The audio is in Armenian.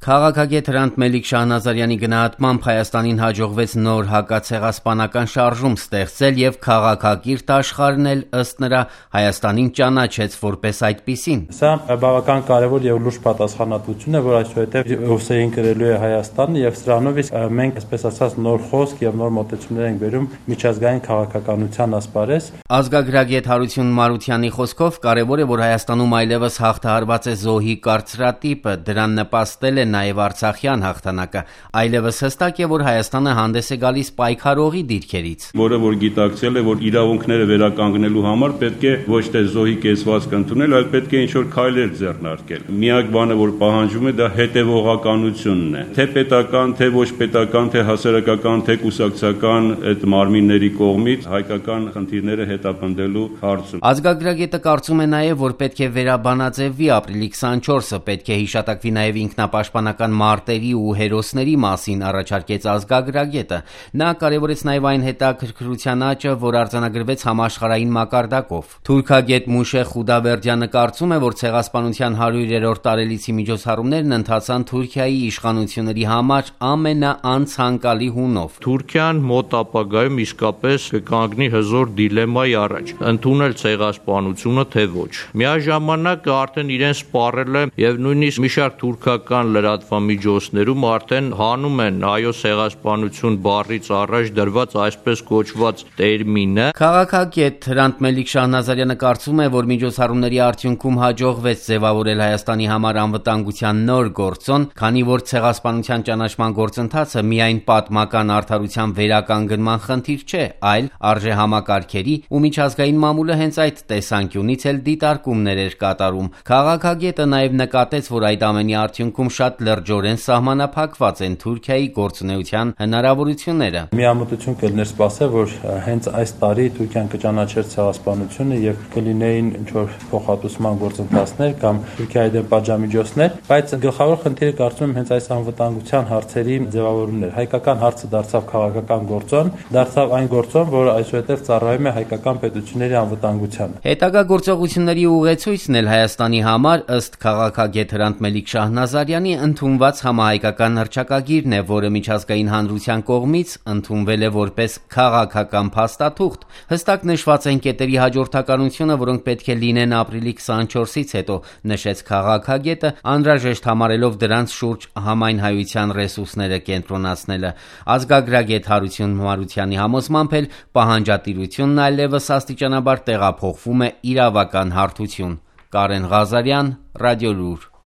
Քաղաքագետ Հրանտ Մելիք Շահնազարյանի գնահատմամբ Հայաստանին հաջողվեց նոր հակացեղասպանական շարժում ստեղծել եւ քաղաքակիրթ աշխարհն էլ ըստ նրա Հայաստանին ճանաչեց որպես այդպիսին։ Սա բավական կարևոր եւ լուրջ պատասխանատվություն է, որ այսուհետեւ ուսերին կրելու է Հայաստանը եւ սրանով իսկ մենք, այսպես ասած, նոր խոսք եւ նոր մոտեցումներ ենք բերում միջազգային քաղաքականության ասպարեզ։ Ազգագրագետ Հարություն Մարությանի խոսքով կարևոր է, որ Հայաստանում այլևս հաղթահարված է զոհի կարծրատիպը, դրան նպաստել է նաև Արցախյան հաղթանակը, այլևս հստակ է, որ Հայաստանը հանդես է գալիս պայքարողի դիրքերից, որը որ գիտակցել է, որ իրավունքները վերականգնելու համար պետք է ոչ թե զոհի կեցվածք ընդունել, այլ պետք է ինչ-որ քայլեր ձեռնարկել։ Միակ բանը, որ պահանջում է, դա հետևողականությունն է, թե պետական, թե ոչ պետական, թե հասարակական, թե կուսակցական այդ մարմինների կողմից հայկական խնդիրները հետապնդելու հարցում։ Ազգագրագետը կարծում է նաև, որ պետք է վերաբանաձևվի ապրիլի 24-ը, պետք է հիշատակվի նաև ինքնապաշտպանական մարտերի ու հերոսների մասին, առաջարկեց ազգագրագետը։ Նա կարևորեց նաև այն հետաքրքրության աճը, որ արձանագրվեց համաշխարհային մակարդակով։ Թուրքագետ Մուշե Խուդավերդյանը կարծում է, որ ցեղասպանության 100-րդ տարելիցի միջոցառումներն ընթացան Թուրքիայի իշխանությունների համար ամենաանցանկալի հունով։ Թուրքիան մոտ ապագայում իսկապես կկանգնի հզոր դիլեմայի առաջ՝ ընդունել ցեղասպանությունը թե ոչ։ Միաժամանակ արդեն իրեն սպառել է եւ նույնիսկ մի շարք թուրքական լրատվամիջոցներում արդեն հանում են այո ցեղասպանություն բառից առաջ դրված այսպես կոչված տերմինը։ Քաղաքագետ Հրանտ Մելիք Շահնազարյանը կարծում է, որ միջոցառումների արդյունքում հաջողվեց ձևավորել Հայաստանի համար անվտանգության նոր գործոն, քանի որ ցեղասպանության ճանաչման գործընթացը միայն պատմական արդարության վերականգնման խնդիր չէ, այլ արժեհամակարգերի ու միջազգային մամուլը հենց այդ տեսանկյունից էլ դիտարկումներ էր կատարում։ Քաղաքագետը նաև նկատեց, որ այդ ամենի արդյունքում շատ լրջորեն սահմանափակված են Թուրքիայի գործունեության հնարավորությունները։ Միամտություն կլիներ սպասել, որ հենց այս տարի Թուրքիան կճանաչեր ցեղասպանությունը եւ կլինեին ինչ-որ փոխհատուցման գործընթացներ կամ Թուրքիայի դեմ պատժամիջոցներ, բայց գլխավոր խնդիրը կարծում եմ հենց այս անվտանգության հարցերի ձևավորումն էր։ Հայկական հարցը դարձավ քաղաքական գործոն, դարձավ այն գործոն, որը այսուհետև ծառայում է հայկական պետությունների անվտանգությանը։ Հետագա գործողությունների ուղեցույցն էլ Հայաստանի համար ըստ քաղաքագետ Հրանտ Մելիք Շահնազարյանի ընդունված համահայկական հռչակագիրն է, որը միջազգային հանրության կողմից ընդունվել է որպես քաղաքական փաստաթուղթ։ Հստակ նշված են կետերի հաջորդականությունը, որոնք պետք է լինեն ապրիլի 24-ից հետո, նշեց քաղաքագետը, անհրաժեշտ համարելով դրանց շուրջ համայնհայության ռեսուրսները կենտրոնացնելը։ Ազգագրագետ Հարություն Մարությանի համոզմամբ էլ պահանջատիրությունն այլևս աստիճանաբար տեղափոխվում է իրավական հարթություն։ Կարեն Ղազարյան, Ռադիոլուր։